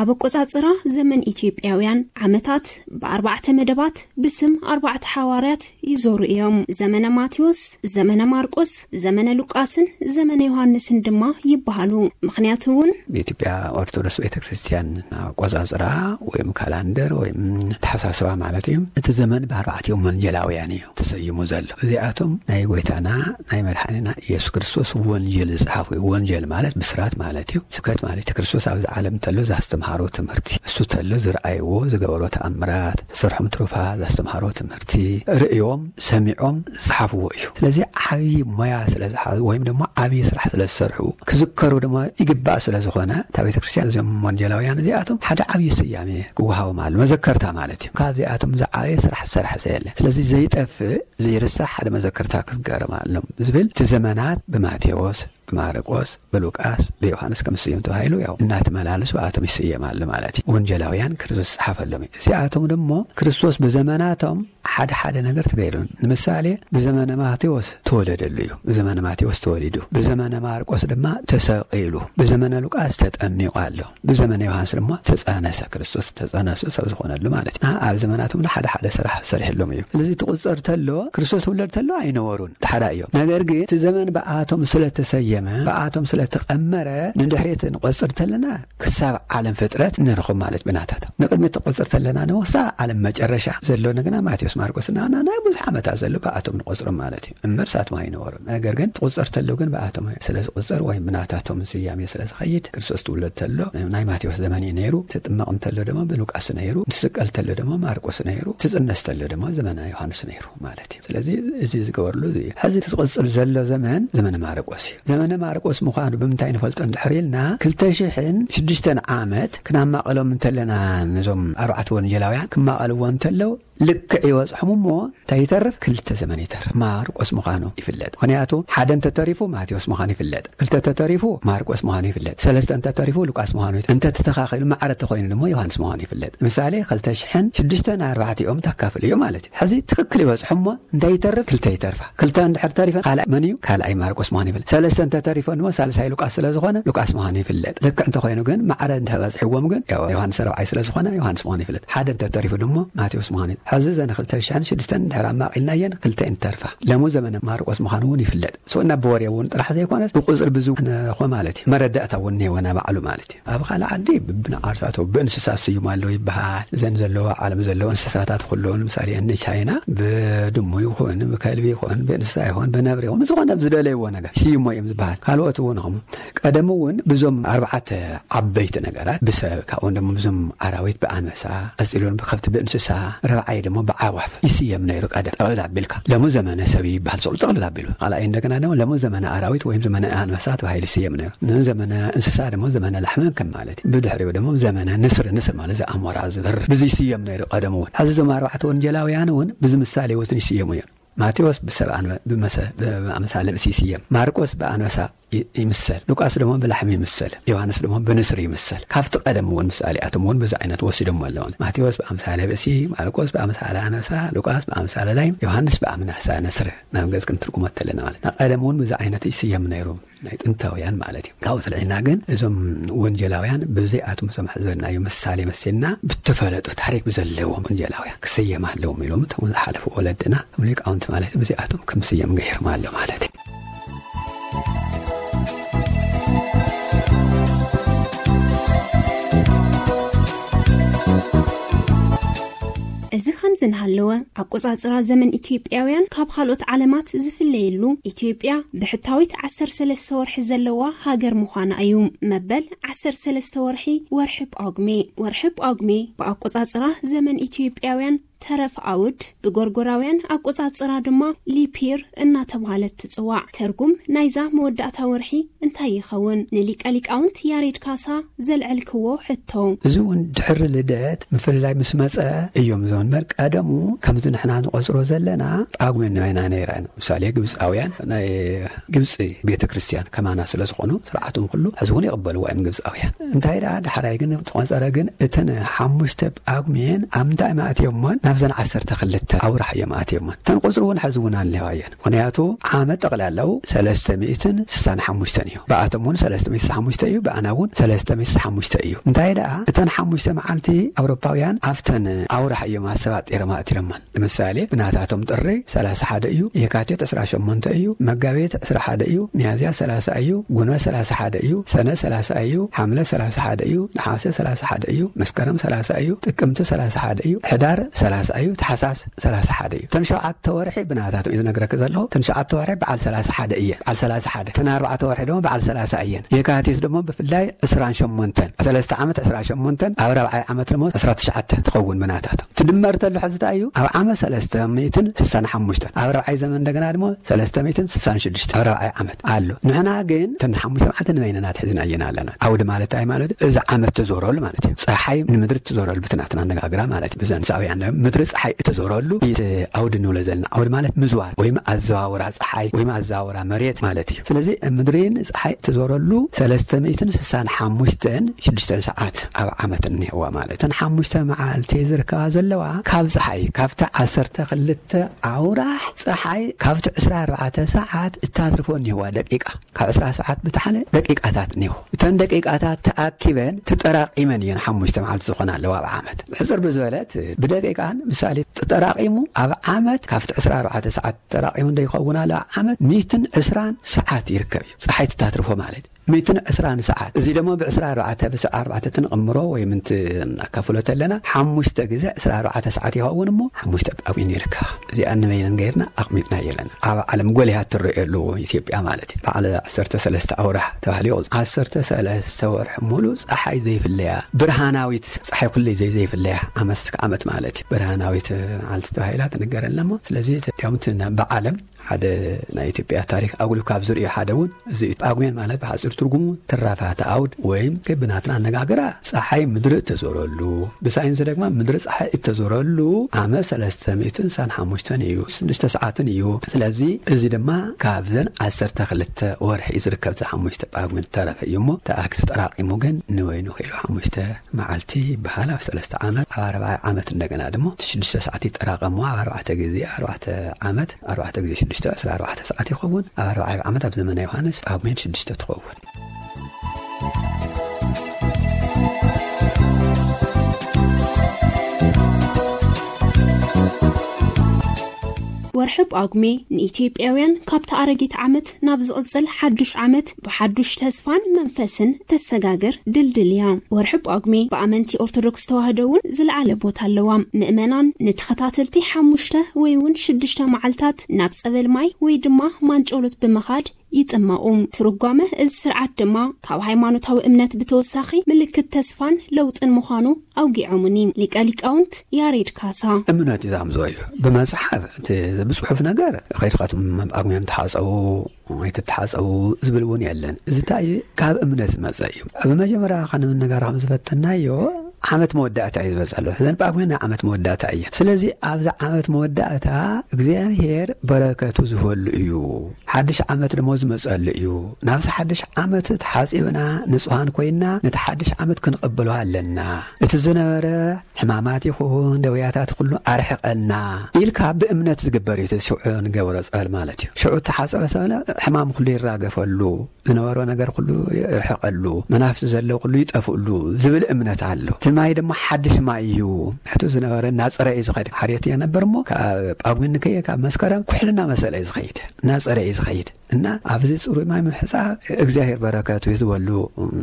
ኣብ ኣቆጻጽራ ዘመን ኢትዮጵያውያን ዓመታት ብኣርባዕተ መደባት ብስም ኣርባዕተ ሓዋርያት ይዞሩ እዮም። ዘመነ ማቴዎስ፣ ዘመነ ማርቆስ፣ ዘመነ ሉቃስን ዘመነ ዮሃንስን ድማ ይበሃሉ። ምኽንያቱ እውን ብኢትዮጵያ ኦርቶዶክስ ቤተክርስትያን ኣቆጻጽራ ወይም ካላንደር ወይም ተሓሳስባ ማለት እዩ። እቲ ዘመን ብኣርባዕቲኦም ወንጌላውያን እዩ ተሰይሙ ዘሎ። እዚኣቶም ናይ ጎይታና ናይ መድሓኒና ኢየሱስ ክርስቶስ ወንጌል ዝጸሓፉ እዩ። ወንጌል ማለት ብስራት ማለት እዩ። ስብከት ማለት እዩ። ክርስቶስ ኣብዚ ዓለም እንተሎ ዘስተምሃሮ ትምህርቲ፣ እሱ ተሎ ዝረኣይዎ ዝገበሮ ተኣምራት፣ ዝሰርሖም ትሩፋት፣ ዘስተምሃሮ ትምህርቲ ርእዮም ሰሚዖም ዝጸሓፍዎ እዩ። ስለዚ ዓብዪ ሞያ ስለ ዝሓዙ ወይም ድማ ዓብዪ ስራሕ ስለ ዝሰርሑ ክዝከሩ ድማ ይግባእ ስለ ዝኾነ እታ ቤተ ክርስቲያን እዚኦም ወንጌላውያን እዚኣቶም ሓደ ዓብዪ ስያሜ ክወሃቦም ኣሎ። መዘከርታ ማለት እዩ። ካብዚኣቶም ዝዓበየ ስራሕ ዝሰርሐ ሰብ የለን። ስለዚ ዘይጠፍእ ዘይርሳሕ ሓደ መዘከርታ ክትገርም ኣለዎም ዝብል እቲ ዘመናት ብማቴዎስ፣ ብማርቆስ፣ ብሉቃስ፣ ብዮሃንስ ከም ዝስየም ተባሂሉ ያው እናተመላለሱ ብኣቶም ይስየም ኣሎ ማለት እዩ። ወንጌላውያን ክርስቶስ ዝጸሓፈሎም እዩ። እዚኣቶም ደሞ ክርስቶስ ብዘመናቶም ሓደ ሓደ ነገር ትገይሩ። ንምሳሌ ብዘመነ ማቴዎስ ተወለደሉ እዩ። ብዘመነ ማቴዎስ ተወሊዱ። ብዘመነ ማርቆስ ድማ ተሰቂሉ። ብዘመነ ሉቃስ ተጠሚቑ ኣሎ። ብዘመነ ዮሃንስ ድማ ተጸነሰ። ክርስቶስ ተጸነሱ ሰብ ዝኾነሉ ማለት እዩ። ኣብ ዘመናቶም ሓደ ሓደ ስራሕ ሰሪሕሎም እዩ። ስለዚ ትቁጸር ተሎ ክርስቶስ ትውለድ ተሎ ኣይነበሩን። ሓደ እዮም። ነገር ግን እቲ ዘመን ብኣቶም ስለተሰየመ፣ ብኣቶም ስለተቐመረ ንድሕሪት ንቆጽር ተለና ክሳብ ዓለም ፍጥረት ንረኽብ ማለት ብናታቶም። ንቅድሚት ትቆጽር ተለና ንወሳ ዓለም መጨረሻ ዘሎ ንግና ማቴዎስ ማርቆስ እና ናይ ብዙሕ ዓመታት ዘሎ ብኣቶም ንቆጽሮም ማለት እዩ። እምበር ሳቶም ኣይነበሩን። ነገር ግን ትቁጸር ተሎ ግን ብኣቶም ስለ ዝቁጸር ወይም ብናታቶም ስያሜ ስለ ዝኸይድ ክርስቶስ ትውለድ ተሎ ናይ ማቴዎስ ዘመን እዩ ነይሩ። ትጥመቕ እንተሎ ድማ ብሉቃስ ነይሩ። ትስቀል ተሎ ድማ ማርቆስ ነይሩ። ትጽነስ ተሎ ድማ ዘመነ ዮሃንስ ነይሩ ማለት እዩ። ስለዚ እዚ ዝገበርሉ እዚ እዩ። ሕዚ ትቕጽል ዘሎ ዘመን ዘመነ ማርቆስ እዩ። ዘመነ ማርቆስ ምዃኑ ብምንታይ ንፈልጦ እንድሕር ኢልና ክልተ ሽሕን ሽዱሽተን ዓመት ክናማቐሎም እንተለና ነዞም ኣርባዕተ ወንጌላውያን ክማቐልዎ እንተለው ልክዕ ይበጽሖም እሞ እንታይ ይተርፍ? ክልተ ዘመን ይተርፍ። ማርቆስ ምዃኑ ይፍለጥ። ምኽንያቱ ሓደ እንተተሪፉ ማቴዎስ ምዃኑ ይፍለጥ፣ ክልተ እንተተሪፉ ማርቆስ ምዃኑ ይፍለጥ፣ ሰለስተ እንተተሪፉ ሉቃስ ምዃኑ ይፍለጥ። እንተተተኻኺሉ ማዕረ ተኾይኑ ድማ ዮሃንስ ምዃኑ ይፍለጥ። ምሳሌ ክልተ ሽሕን ሽዱሽተን ኣርባዕቲኦም ታካፍል እዩ ማለት እዩ። ሕዚ ትኽክል ይበጽሖም እሞ እንታይ ይተርፍ? ክልተ ይተርፋ። ክልተ እንድሕር ተሪፈ ካልኣይ መን እዩ? ካልኣይ ማርቆስ ምዃኑ ይፍለጥ። ሰለስተ እንተተሪፈ ድማ ሳልሳይ ሉቃስ ስለ ዝኾነ ሉቃስ ምዃኑ ይፍለጥ። ልክዕ እንተኾይኑ ግን ማዕረ እንተበጽሕዎም ግን ያው ዮሃንስ ራብዓይ ስለ ዝኾነ ዮሃንስ ምዃኑ ይፍለጥ። ሓደ እንተተሪፉ ድማ ማቴዎስ ምዃኑ ይፍለጥ። ሕዚ ዘን ክልተ ሽሕን ሽዱሽተን እንድሕር ኣማቒልናየን ክልተ እንተርፋ። ለሙ ዘመነ ማርቆስ ምዃኑ እውን ይፍለጥ። ሶ እና ብወሬ እውን ጥራሕ ዘይኮነስ ብቁጽሪ ብዙ ነኾ ማለት እዩ። መረዳእታ እውን እኒሄወና ባዕሉ ማለት እዩ። ኣብ ካልእ ዓዲ ብብንዓርሳቶ ብእንስሳ ስዩም ኣለዉ ይበሃል። እዘን ዘለዋ ዓለም ዘለዉ እንስሳታት ኩሉ ንምሳሌ እኒ ቻይና ብድሙ ይኹን ብከልቢ ይኹን ብእንስሳ ይኹን ብነብሪ ይኹን ብዝኾነ ብዝደለይዎ ነገር ስይሞ እዮም ዝበሃል። ካልኦት እውን ኹም ቀደም እውን ብዞም ኣርባዕተ ዓበይቲ ነገራት ብሰብ ካብኡን ድማ ብዞም ኣራዊት ብኣንበሳ ቀጺሉን ብከብቲ ብእንስሳ ረብዓይ ድማ ብዓዋፍ ይስየም ነይሩ። ቀደም ጠቕልል ኣቢልካ ለሙ ዘመነ ሰብ ይበሃል ሰሉ ጠቕልል ኣቢሉ ካልኣይ እንደገና ድማ ለሙ ዘመነ ኣራዊት ወይም ዘመነ ኣንበሳ ተባሂሉ ይስየም ነይሩ። ንዘመነ እንስሳ ድማ ዘመነ ላሕመ ከም ማለት እዩ። ብድሕሪኡ ድማ ዘመነ ንስሪ ንስር ማለት ዘኣሞራ ዝበርር ብዙ ይስየም ነይሩ። ቀደም እውን ሕዚ እዞም ኣርባዕተ ወንጌላውያን እውን ብዙ ምሳሌ ወትን ይስየሙ እዮም። ማቴዎስ ብሰብ ኣንበ- ብመሰ- ብኣምሳለ ብሲ ይስየም። ማርቆስ ብኣንበሳ ይ- ይምሰል። ሉቃስ ድማ ብላሕሚ ይምሰል። ዮሃንስ ድማ ብንስሪ ይምሰል። ካብቲ ቀደም እውን ምሳሌኣቶም እውን ብዙ ዓይነት ወሲዶም ኣለውን። ማቴዎስ ብኣምሳለ ብእሲ፣ ማርቆስ ብኣምሳለ ኣነሳ፣ ሉቃስ ብኣምሳለ ላይም፣ ዮሃንስ ብኣምናሳ ነስር ናብ ገጽ ክንትርጉሞ ተለና ማለት ናብ ቀደም እውን ብዙ ዓይነት ይስየም ነይሩ ናይ ጥንታውያን ማለት እዩ። ካብኡ ስልዒና ግን እዞም ወንጀላውያን ብዘይኣቶም እዞም ሕዘናዩ ምሳሌ መሲልና ብተፈለጡ ታሪክ ብዘለዎም ወንጀላውያን ክስየም ኣለዎም ኢሎም እቶም ዝሓለፉ ወለድና እቶም ሊቃውንቲ ማለት ብዘይኣቶም ከም ስየም ገይርም ኣሎ ማለት እዩ። እዚ ከምዚ እናሃለወ ኣቆጻጽራ ዘመን ኢትዮጵያውያን ካብ ካልኦት ዓለማት ዝፍለየሉ ኢትዮጵያ ብሕታዊት ዓሰርተ ሰለስተ ወርሒ ዘለዋ ሃገር ምዃና እዩ። መበል ዓሰርተ ሰለስተ ወርሒ ወርሒ ጳጉሜ። ወርሒ ጳጉሜ ብኣቆጻጽራ ዘመን ኢትዮጵያውያን ተረፍ ኣውድ ብጎርጎራውያን ኣቆጻጽራ ድማ ሊፒር እናተባህለት ትጽዋዕ። ትርጉም ናይዛ መወዳእታ ወርሒ እንታይ ይኸውን? ንሊቀ ሊቃውንት ያሬድ ካሳ ዘልዐልክዎ ሕቶ። እዚ እውን ድሕሪ ልደት ምፍልላይ ምስ መጸ እዮም። እዞም እምበር ቀደሙ ከምዚ ንሕና ንቆጽሮ ዘለና ጳጉሜ ንበይና ነይራ። ምሳሌ ግብፃውያን ናይ ግብፂ ቤተ ክርስቲያን ከማና ስለ ዝኾኑ ስርዓቶም ኩሉ ሕዚ እውን ይቕበልዎ እዮም ግብፃውያን። እንታይ ደኣ ዳሕራይ ግን ተቆጸረ ግን እተን ሓሙሽተ ጳጉሜን ኣብ ምንታይ ማእትዮሞን ናብዘን ዓሰርተ ክልተ ኣውራሕ እዮም ኣትዮመን። እተን ቁጽሪ እውን ሕዚ እውን ኣለዋ እየን። ምኽንያቱ ዓመት ጠቕላላው ሰለስተ ሚእትን ስሳን ሓሙሽተን እዩ። ብኣቶም እውን ሰለስተ ሚእቲ ስሳን ሓሙሽተ እዩ፣ ብኣና እውን ሰለስተ ሚእቲ ስሳን ሓሙሽተ እዩ። እንታይ ደኣ፣ እተን ሓሙሽተ መዓልቲ ኣውሮፓውያን ኣብተን ኣውራሕ እዮም ኣሰባጢሮም ኣእቲሮመን። ንምሳሌ፣ ብናታቶም ጥሪ ሰላሳ ሓደ እዩ፣ የካቲት ዕስራ ሸሞንተ እዩ፣ መጋቢት ዕስራ ሓደ እዩ፣ ሚያዝያ ሰላሳ እዩ፣ ጉንበት ሰላሳ ሓደ እዩ፣ ሰነ ሰላሳ እዩ፣ ሓምለ ሰላሳ ሓደ እዩ፣ ነሓሰ ሰላሳ ሓደ እዩ፣ መስከረም ሰላሳ እዩ፣ ጥቅምቲ ሰላሳ ሓደ እዩ፣ ሕዳር ሰላሳ እዩ፣ ታሕሳስ ሰላሳ ሓደ እዩ። እተን ሸውዓተ ወርሒ ብናታቶም እዩ ዝነግረክ ዘለኹ። እተን ሸውዓተ ወርሒ በዓል ሰላሳ ሓደ እየን። በዓል ሰላሳ ሓደ። እተን ኣርባዕተ ወርሒ ድማ በዓል ሰላሳ እየን። የካቲት ድማ ብፍላይ ዕስራን ሸሞንተን። ሰለስተ ዓመት ዕስራን ሸሞንተን፣ ኣብ ራብዓይ ዓመት ድማ ዕስራ ትሽዓተ ትኸውን ብናታቶም። ትድመር ተሎ ሕዚ እንታይ እዩ? ኣብ ዓመት ሰለስተ ሚእትን ስሳን ሓሙሽተን። ኣብ ራብዓይ ዘመን እንደገና ድማ ሰለስተ ሚእትን ስሳን ሽዱሽተ ኣብ ራብዓይ ዓመት ኣሎ። ንሕና ግን እተን ሓሙሽተ መዓልቲ ንበይንና ኣትሒዝና እየን ኣለና። ኣውዲ ማለት እንታይ ማለት እዩ? እዚ ዓመት ትዞረሉ ማለት እዩ። ፀሓይ ንምድሪ ትዞረሉ ብትናትና ኣነጋግራ ማለት እዩ። ብዘን ሳብያን ምድሪ ፀሓይ እትዞረሉ እቲ ኣውዲ ንብሎ ዘለና። ኣውዲ ማለት ምዝዋር ወይም ኣዘዋውራ ፀሓይ ወይም ኣዘዋውራ መሬት ማለት እዩ። ስለዚ ምድሪን ፀሓይ እትዞረሉ ሰለስተ ሚእትን ስሳን ሓሙሽተን ሽዱሽተን ሰዓት ኣብ ዓመት እኒሄዋ ማለት። እተን ሓሙሽተ መዓልቲ ዝርከባ ዘለዋ ካብ ፀሓይ፣ ካብቲ ዓሰርተ ክልተ ኣውራሕ ፀሓይ ካብቲ ዕስራ ኣርባዕተ ሰዓት እታትርፎ እኒሄዋ ደቂቃ። ካብ ዕስራ ሰዓት ብታሕለ ደቂቃታት እኒሄው። እተን ደቂቃታት ተኣኪበን ተጠራቂመን እየን ሓሙሽተ መዓልቲ ዝኾና ኣለዋ ኣብ ዓመት። ሕፅር ብዝበለት ብደቂቃን ምሳሌ ተጠራቂሙ ኣብ ዓመት ካብቲ ዕስራ ኣርባዕተ ሰዓት ተጠራቂሙ እንደ ይኸውን ኣሎ ኣብ ዓመት ሚእትን ዕስራን ሰዓት ይርከብ እዩ። ፀሓይ ትታትርፎ ማለት ሚእትን ዕስራን ሰዓት። እዚ ደሞ ብዕስራ ኣርባዕተ፣ ብስዓ ኣርባዕተ ትንቕምሮ ወይ ምንቲ እናካፍሎ ተለና፣ ሓሙሽተ ግዜ ዕስራ ኣርባዕተ ሰዓት ይኸውን እሞ፣ ሓሙሽተ ጳጉሜን ይርከባ። እዚኣ ንበይነን ገይርና ኣቕሚጥና የለና። ኣብ ዓለም ጎሊሃ ትረኣየሉ ኢትዮጵያ ማለት እዩ። በዓል ዓሰርተ ሰለስተ ኣውራሕ ተባሂሉ ይቑጽር። ዓሰርተ ሰለስተ ወርሒ ሙሉ ጸሓይ ዘይፍለያ፣ ብርሃናዊት ጸሓይ ኩለይ ዘይ-፣ ዘይፍለያ፣ ዓመት እስከ ዓመት ማለት እዩ። ብርሃናዊት መዓልቲ ተባሂላ ትንገረልና እሞ፣ ስለዚ፣ እዚኦም እቲ ና-፣ ብዓለም ሓደ ናይ ኢትዮጵያ ታሪኽ ኣጉሊሁ ካብ ዝርእዮ ሓደ እውን እዚ እዩ። ጳጉሜን ማለት ብሓፂር ትርጉሙ ትራፋት ኣውድ ወይም ብናትና ኣነጋግራ ፀሓይ ምድሪ እተዞረሉ፣ ብሳይንስ ድማ ምድሪ ፀሓይ እተዞረሉ ዓመት ሰለስተ ሚእትን ስሳን ሓሙሽተን እዩ፣ ሽዱሽተ ሰዓትን እዩ። ስለዚ እዚ ድማ ካብዘን ዓሰርተ ክልተ ወርሒ እዩ ዝርከብ፣ እዚ ሓሙሽተ ጳጉሜን ዝተረፈ እዩ እሞ ተኣኪቡ ተጠራቂሙ ግን ንበይኑ ክኢሉ ሓሙሽተ መዓልቲ ይበሃል። ኣብ ሰለስተ ዓመት፣ ኣብ ኣርባዓይ ዓመት እንደገና ድማ እቲ ሽዱሽተ ሰዓት ይጠራቐሙ። ኣብ ኣርባዕተ ግዜ ኣርባዕተ ዓመት፣ ኣርባዕተ ግዜ ሽዱሽተ፣ ዕስራ ኣርባዕተ ሰዓት ይኸውን። ኣብ ኣርባዓይ ዓመት ኣብ ዘመነ ዮሃንስ ጳጉሜን ሽዱሽተ ትኸውን። ወርሒ ጳጉሜ ንኢትዮጵያውያን ካብቲ ኣረጊት ዓመት ናብ ዝቕጽል ሓዱሽ ዓመት ብሓዱሽ ተስፋን መንፈስን ተሰጋግር ድልድል እያ። ወርሒ ጳጉሜ ብኣመንቲ ኦርቶዶክስ ተዋህዶ እውን ዝለዓለ ቦታ ኣለዋ። ምእመናን ንተኸታተልቲ ሓሙሽተ ወይ እውን ሽዱሽተ መዓልታት ናብ ጸበል ማይ ወይ ድማ ማንጨሎት ብምኻድ ይጥመቑ። ትርጓመ እዚ ስርዓት ድማ ካብ ሃይማኖታዊ እምነት ብተወሳኺ ምልክት ተስፋን ለውጥን ምዃኑ ኣውጊዖምኒ። ሊቀ ሊቃውንት ያሬድ ካሳ። እምነት እዩ ዛምዝኦ እዩ። ብመጽሓፍ እቲ ብጽሑፍ ነገር ከይድካ እቶም ኣብ ጳጉሜን ተሓጸቡ፣ ኣይትተሓጸቡ ዝብል እውን የለን። እዚ እንታይ እዩ? ካብ እምነት ዝመጸ እዩ። ኣብ መጀመርያ ከነመነጋር ከም ዝፈተናዮ ዓመት መወዳእታ እዩ ዝበጽሕ ዘሎ። ስለዚ ጳጉሜን ናይ ዓመት መወዳእታ እያ። ስለዚ ኣብዚ ዓመት መወዳእታ እግዚኣብሔር በረከቱ ዝህበሉ እዩ። ሓድሽ ዓመት ደሞ ዝመጸሉ እዩ። ናብዚ ሓድሽ ዓመት ተሓጺብና ንጹሃን ኮይና ነቲ ሓድሽ ዓመት ክንቕበሎ ኣለና። እቲ ዝነበረ ሕማማት ይኹን ደውያታት ኩሉ ኣርሕቐልና ኢልካ ብእምነት ዝግበር እዩ። እቲ ሽዑ ንገብሮ ጸበል ማለት እዩ። ሽዑ እተሓጸበ ሰብ ሕማም ኩሉ ይራገፈሉ፣ ዝነበሮ ነገር ኩሉ ይርሕቐሉ፣ መናፍስቲ ዘለዎ ኩሉ ይጠፍእሉ ዝብል እምነት ኣሎ። እቲ ማይ ድማ ሓድሽ ማይ እዩ። ሕቱ ዝነበረ እናጸረ እዩ ዝኸይድ። ሓርየት እየ ነበር እሞ ካብ ጳጉሜን ንከየ ካብ መስከረም ኩሕልና መሰለ እዩ ዝኸይድ፣ እናጸረ እዩ ዝኸይድ። እና ኣብዚ ጽሩይ ማይ ምሕጻብ እግዚኣብሔር በረከቱ ይዝበሉ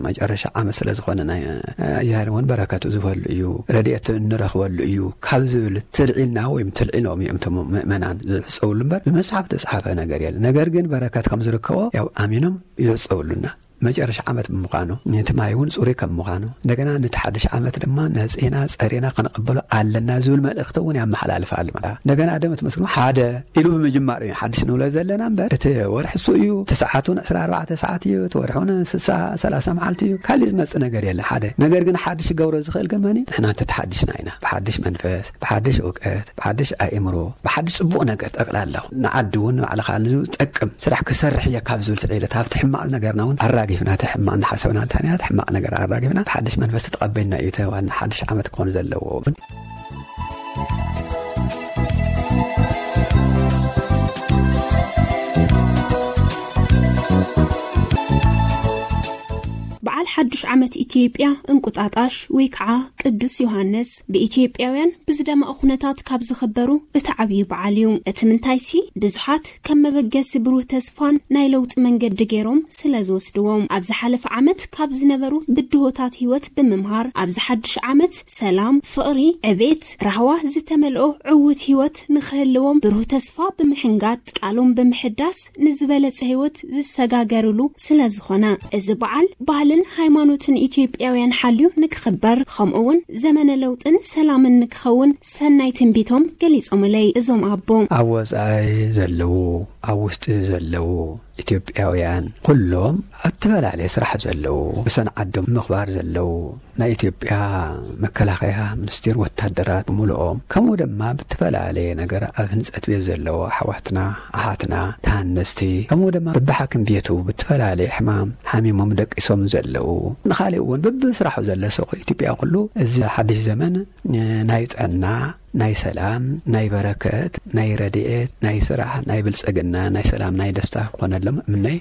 መጨረሻ ዓመት ስለ ዝኾነ ናይ እግዚኣብሔር እውን በረከቱ ዝበሉ እዩ፣ ረድኤቱ እንረኽበሉ እዩ ካብ ዝብል ትልዒልና ወይም ትልዒሎም እዮም እቶም ምእመናን ዝሕጸብሉ እምበር ብመጽሓፍ ዝተጻሕፈ ነገር የለን። ነገር ግን በረከት ከም ዝርከቦ ያው ኣሚኖም ይሕጸብሉና። መጨረሻ ዓመት ብምዃኑ፣ ነቲ ማይ እውን ጽሩይ ከም ምዃኑ፣ እንደገና ነቲ ሓድሽ ዓመት ድማ ነጺና ጸሪና ክንቕበሎ ኣለና ዝብል መልእኽቲ እውን ያመሓላልፍ ኣሎ። እንደገና ደም እቲ መስግን ሓደ ኢሉ ብምጅማር እዩ ሓድሽ ንብሎ ዘለና እምበር፣ እቲ ወርሒ እሱ እዩ፣ እቲ ሰዓት እውን ዕስራ ኣርባዕተ ሰዓት እዩ፣ እቲ ወርሒ እውን ስሳ፣ ሰላሳ መዓልቲ እዩ። ካሊእ ዝመጽእ ነገር የለ ሓደ። ነገር ግን ሓድሽ ክገብሮ ዝኽእል ግን መን እዩ? ንሕና እንተተሓዲስና ኢና። ብሓድሽ መንፈስ፣ ብሓድሽ እውቀት፣ ብሓድሽ ኣእምሮ፣ ብሓድሽ ጽቡቕ ነገር ጠቕላላ ንዓዲ እውን ንባዕልኻ ንዝጠቅም ስራሕ ክሰርሕ እየ ካብ ዝብል ትዕቢት፣ ካብቲ ሕማቕ ነገርና እውን ኣራጊፍና፣ እቲ ሕማቕ እናሓሰብና እንተሃኒና፣ እቲ ሕማቕ ነገር ኣራጊፍና፣ ብሓድሽ መንፈስ ተቐበልና እዩ እቲ ዋና ሓድሽ ዓመት ክኾን ዘለዎ። ሓድሽ ዓመት ኢትዮጵያ እንቁጣጣሽ ወይ ከዓ ቅዱስ ዮሃንስ ብኢትዮጵያውያን ብዝደመቐ ኩነታት ካብ ዝኽበሩ እቲ ዓብዪ በዓል እዩ። እቲ ምንታይሲ ብዙሓት ከም መበገሲ ብሩህ ተስፋን ናይ ለውጢ መንገዲ ገይሮም ስለ ዝወስድዎም፣ ኣብ ዝሓለፈ ዓመት ካብ ዝነበሩ ብድሆታት ህይወት ብምምሃር ኣብዚ ሓድሽ ዓመት ሰላም፣ ፍቕሪ፣ ዕቤት፣ ራህዋ ዝተመልኦ ዕዉት ህይወት ንኽህልዎም ብሩህ ተስፋ ብምሕንጋጥ ቃሎም ብምሕዳስ ንዝበለጸ ህይወት ዝሰጋገርሉ ስለ ዝኾነ፣ እዚ በዓል ባህልን ሃይማኖትን ኢትዮጵያውያን ሓልዩ ንክኽበር፣ ከምኡ እውን ዘመነ ለውጥን ሰላምን ንክኸውን ሰናይ ትንቢቶም ገሊጾምለይ እዞም ኣቦ። ኣብ ወጻኢ ዘለዉ፣ ኣብ ውሽጢ ዘለዉ ኢትዮጵያውያን ኩሎም ኣብ ዝተፈላለየ ስራሕ ዘለዉ፣ ብሰን ዓዶም ምኽባር ዘለዉ፣ ናይ ኢትዮጵያ መከላኸያ ሚኒስቴር ወታደራት ብምሉኦም፣ ከምኡ ድማ ብትፈላለየ ነገር ኣብ ህንፀት ቤት ዘለዉ ኣሕዋትና ኣሓትና ተሃነስቲ፣ ከምኡ ድማ በብሓኪም ቤቱ ብትፈላለየ ሕማም ሓሚሞም ደቂሶም ዘለዉ፣ ንኻሊእ እውን በብስራሑ ዘሎ ሰው ኢትዮጵያ ኩሉ እዚ ሓድሽ ዘመን ናይ ጥዕና፣ ናይ ሰላም፣ ናይ በረከት፣ ናይ ረድኤት፣ ናይ ስራሕ፣ ናይ ብልጽግና፣ ናይ ሰላም፣ ናይ ደስታ ክኾነሎም እምነይ።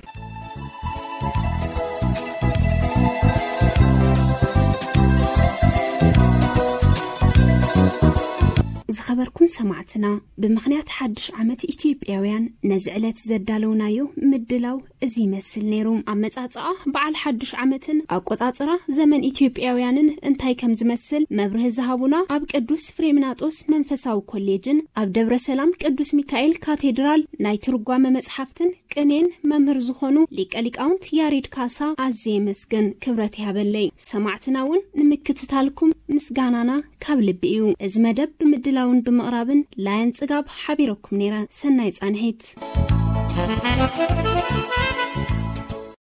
ዝኸበርኩም ሰማዕትና፣ ብምኽንያት ሓድሽ ዓመት ኢትዮጵያውያን ነዚ ዕለት ዘዳለውናዮ ምድላው እዚ ይመስል ነይሩ። ኣመጻጽኣ በዓል ሓድሽ ዓመትን ኣቆጻጽራ ዘመን ኢትዮጵያውያንን እንታይ ከም ዝመስል መብርሂ ዝሃቡና ኣብ ቅዱስ ፍሬምናጦስ መንፈሳዊ ኮሌጅን ኣብ ደብረ ሰላም ቅዱስ ሚካኤል ካቴድራል ናይ ትርጓመ መጽሓፍትን ቅኔን መምህር ዝኾኑ ሊቀ ሊቃውንት ያሬድ ካሳ ኣዝየ የመስግን፣ ክብረት ይሃበለይ። ሰማዕትና እውን ንምክትታልኩም ምስጋናና ካብ ልቢ እዩ። እዚ መደብ ብምድላውን ብምቕራብን ላያን ጽጋብ ሓቢረኩም ነይረ። ሰናይ ጻንሒት።